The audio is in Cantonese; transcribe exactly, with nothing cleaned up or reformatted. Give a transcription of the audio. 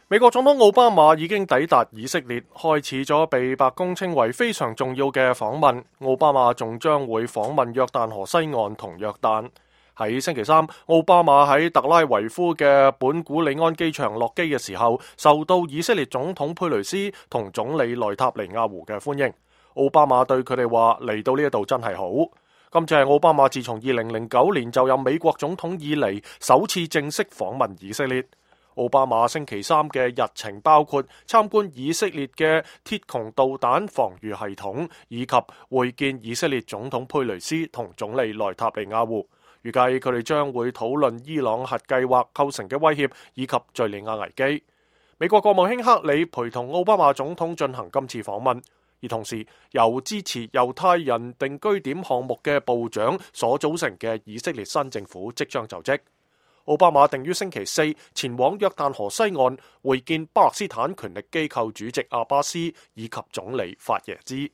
美國總統奧巴馬已經抵達以色列，開始咗被白宮稱為非常重要嘅訪問。奧巴馬仲將會訪問約旦河西岸同約旦。喺星期三，奧巴馬喺特拉維夫嘅本古里安機場落機嘅時候，受到以色列總統佩雷斯同總理內塔尼亞胡嘅歡迎。奧巴馬對佢哋話：嚟到呢一度真係好。今次係奧巴馬自從二零零九年就任美國總統以嚟首次正式訪問以色列。奧巴馬星期三嘅日程包括參觀以色列嘅鐵穹導彈防禦系統，以及會見以色列總統佩雷斯同總理內塔尼亞胡。預計佢哋將會討論伊朗核計劃構成嘅威脅，以及敘利亞危機。美國國務卿克里陪同奧巴馬總統進行今次訪問，而同時由支持猶太人定居點項目嘅部長所組成嘅以色列新政府即將就職。奧巴馬定於星期四前往約旦河西岸會見巴勒斯坦權力機構主席阿巴斯以及總理法耶茲。